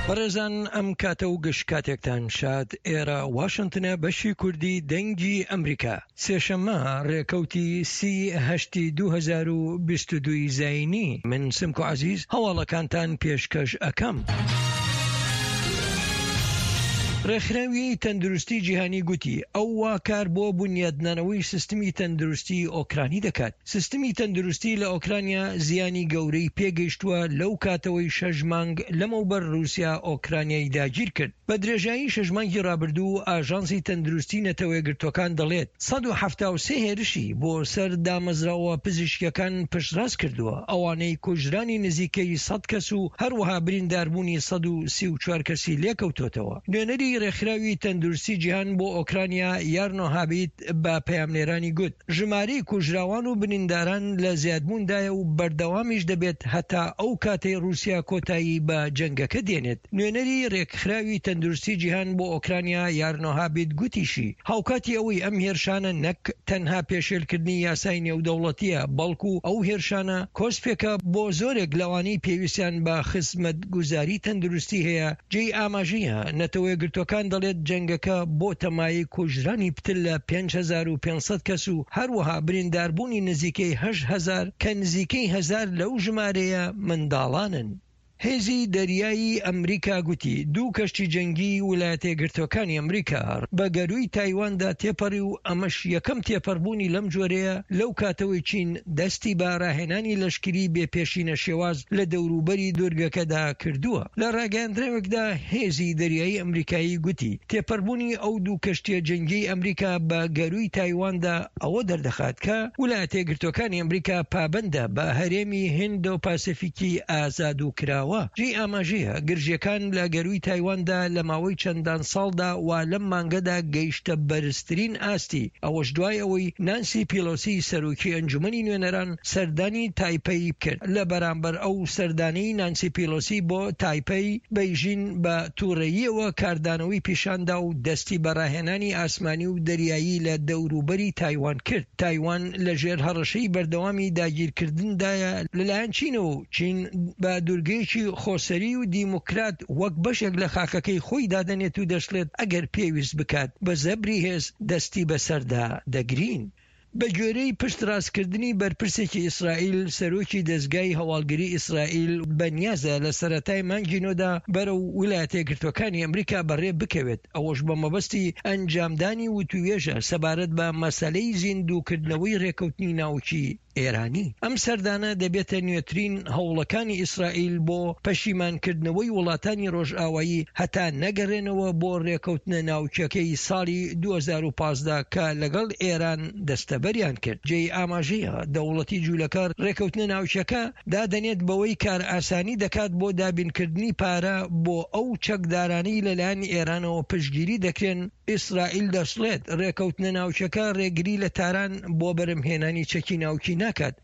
بەڕێزان ئەم کاتە و گشت کاتێکتان شاد ئێرە واشنتنە بەشی کوردی دەنگی ئەمریکا سێشەممە ڕێکەوتی سی هەشتی 2022 زینی من سمکۆ عەزیز هەواڵەکانتان پێشکەش ئەکەم. ڕێکخراوی تەندروستی جیهانی گوتی ئەو وا کار بۆ بونیادنانەوەی سیستمی تەندروستی ئۆکرانی دەکات. سیستمی تەندروستی لە ئۆکرانیا زیانی گەورەی پێگەیشتووە لەو کاتەوەی شەش مانگ لەمەوبەر ڕووسیا ئۆکرانیای داگیرکرد. بە درێژایی شەش مانگی ڕابردوو ئاژانسی تەندروستی نەتەوەیەکگرتووەکان دەڵێت 173 هێرشی بۆ سەر دامەزراوە پزیشکییەکان پشتڕاست کردووە، ئەوانەی کوژرانی نزیکەی سەد کەس و هەروەها برینداربوونی 134 کەسی لێکەوتۆتەوە. نوێنەری ڕێکخراوی تەندروستی جیهان بۆ ئۆکرانیا یارنۆ هابیت بە پەیامنێرانی گوت، ژمارەی کوژراوان و برینداران لە زیادبووندایە و بەردەوامیش دەبێت هەتا ئەو کاتەی ڕووسیا کۆتایی بە جەنگەکە دێنێت. نوێنەری رێکخراوی تەندروستی جیهان بۆ ئۆکرانیا یارنۆ هابید گوتیشی، هاوکاتی ئەوەی ئەم هێرشانە نەک تەنها پێشێلکردنی یاسای نێودەوڵەتییە، بەڵکو ئەو هێرشانە کۆسپێکە بۆ زۆرێک لەوانەی پێویستیان بە خزمەتگوزاری تەندروستی هەیە. جێی ئاماژەیە، نەتەوەیەکگرتووەکان دەڵێت جەنگەکە بۆتە مایەی کوژرانی پتر لە 5500 کەس و هەروەها برینداربوونی نزیکەی 8000 کە نزیکەی هەزار لەو ژمارەیە منداڵانن. هێزی دەریایی ئەمریکا گوتی دوو کەشتی جەنگیی ولایەتەیەکگرتووەکانی ئەمریکا بە گەرووی تایواندا تێپەڕی و ئەمەش یەکەم تێپەڕبوونی لەم جۆرەیە لەو کاتەوەی چین دەستی بە ڕاهێنانی لەشکری بێ پێشینە شێواز لە دەوروبەری دوورگەکەدا کردووە. لە ڕاگەیاندراوێکدا هێزی دەریایی ئەمریکایی گوتی تێپەڕبوونی ئەو دوو کەشتییە جەنگیەی ئەمریکا بە گەرووی تایواندا ئەوە دەردەخات کە ولایەتەیەکگرتووەکانی ئەمریکا پابەندە بە هەرێمی هیندۆ پاسیفیکی ئازاد و کراوە. جێی ئاماژەیە گرژییەکان لە گەرووی تایواندا لە ماوەی چەندان ساڵدا وا لەم مانگەدا گەیشتە بەرزترین ئاستی، ئەوەش دوای ئەوەی نانسی پیلۆسی سەرۆکی ئەنجومەنی نوێنەران سەردانی تایپەی کرد. لە بەرامبەر ئەو سەردانەی نانسی پیلۆسی بۆ تایپەی، بەیژین بە توڕەییەوە کاردانەوەی پیشاندا و دەستی بە ڕاهێنانی ئاسمانی و دەریایی لە دەوروبەری تایوان کرد. تایوان لە ژێر هەڕەشەی بەردەوامی داگیرکردندایە لەلایەن چینەوە و چین بە دورگەیەکی خۆسەری و دیموکرات وەک بەشێک لە خاکەکەی خۆی دادەنێت و دەشڵێت ئەگەر پێویست بکات بە زەبری هێز دەستی بەسەردا دەگرین. بەگوێرەی پشتڕاستکردنی بەرپرسێکی ئیسرائیل، سەرۆکی دەزگای هەواڵگری ئیسرائیل بەنیازە لە سەرەتای مانگی نۆدا بەرەو ویلایەتەیەکگرتووەکانی ئەمریکا بەڕێ بکەوێت، ئەوەش بە مەبەستی ئەنجامدانی وتووێژە سەبارەت بە مەسەلەی زیندووکردنەوەی رێکەوتنی ناوکی ئێرانی. ئەم سەردانە دەبێتە نوێترین هەوڵەکانی ئیسرائیل بۆ پەشیمانکردنەوەی وڵاتانی ڕۆژئاوایی هەتا نەگەڕێنەوە بۆ ڕێکەوتنە ناوکیەکەی ساڵی 2015 کە لەگەڵ ئێران دەستەبەریان کرد. جێی ئاماژەیە دەوڵەتی جولەکە ڕێکەوتنە ناوکیەکە دادەنێت بەوەی کارئاسانی دەکات بۆ دابینکردنی پارە بۆ ئەو چەکدارانەی لەلایەن ئێرانەوە پشتگیری دەکرێن، ئیسرائیل دەشڵێت، رێکەوتنە ناوکیەکە رێگری لە تاران بۆ بەرهەمهێنانی چەکی ناوکی ناکات.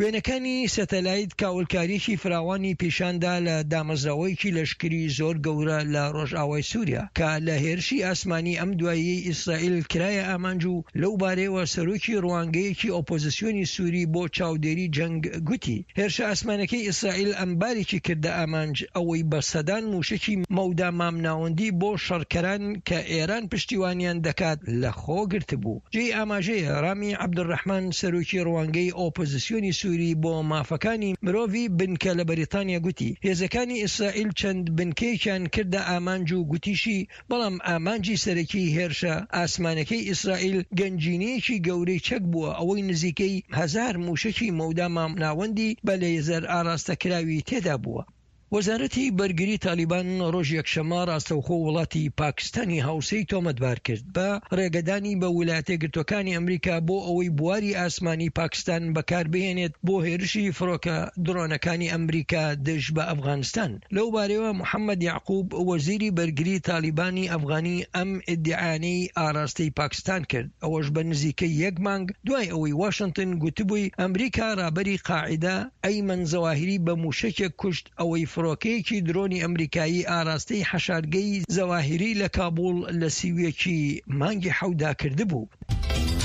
وێنەکانی سەتەلایت کاولکارییەکی فراوانی پیشاندا لە دامەزراوەیەکی لەشکری زۆر گەورە لە رۆژئاوای سوریا کە لە هێرشی ئاسمانی ئەم دواییەی ئیسرائیل کرایە ئامانج و لەو بارەیەوە سەرۆکی روانگەیەکی ئۆپۆزسیۆنی سوری بۆ چاودێری جەنگ گوتی هێرشە ئاسمانەکەی ئیسرائیل ئەمبارێکی کردە ئامانج، ئەوەی بە سەدان مووشەکی مەودا مامناوەندی بۆ شەڕکەران کە ئێران پشتیوانیان دەکات لەخۆ گرتبوو. جێی ئاماژەیە ڕامی عەبدولڕەحمان سەرۆکی ڕوانگەی ئۆپۆزسیۆنی سوری بۆ مافەکانی مرۆڤی بنکە لە بەریتانیا گوتی هێزەکانی ئیسرائیل چەند بنکەیەکیان کردە ئامانج و گوتیشی بەڵام ئامانجی سەرەکی هێرشە ئاسمانەکەی ئیسرائیل گەنجینەیەکی گەورەی چەک بووە ئەوەی نزیکەی هەزار مووشەکی مەودا مامناوەندی بە لەیزەر ئاراستەکراوی تێدا بووە. وەزارەتی بەرگری تالیبان ڕۆژی یەکشەممە ڕاستەوخۆ وڵاتی پاکستانی هاوسێی تۆمەتبار کرد بە ڕێگەدانی بە ولایەتەیەکگرتووەکانی ئەمریکا بۆ ئەوەی بواری ئاسمانی پاکستان بەکاربهێنێت بۆ هێرشی فڕۆکە دڕۆنەکانی ئەمریکا دژ بە ئەفغانستان. لەو بارەیەوە محەمەد یەعقوب وەزیری بەرگری تالیبانی ئەفغانی ئەم ئیدیعایانەی ئاراستەی پاکستان کرد، ئەوەش بە نزیکەی یەک مانگ دوای ئەوەی واشنتن گوتبووی ئەمریکا رابەری قاعیدە ئەیمەن زەواهیری بە موشەکێک کوشت ئەوەی فڕۆکەیەکی درۆنی ئەمریکایی ئاراستەی حەشارگەی زەواهیری لە کابوڵ لە 31 ی مانگی حەوتدا کردبوو.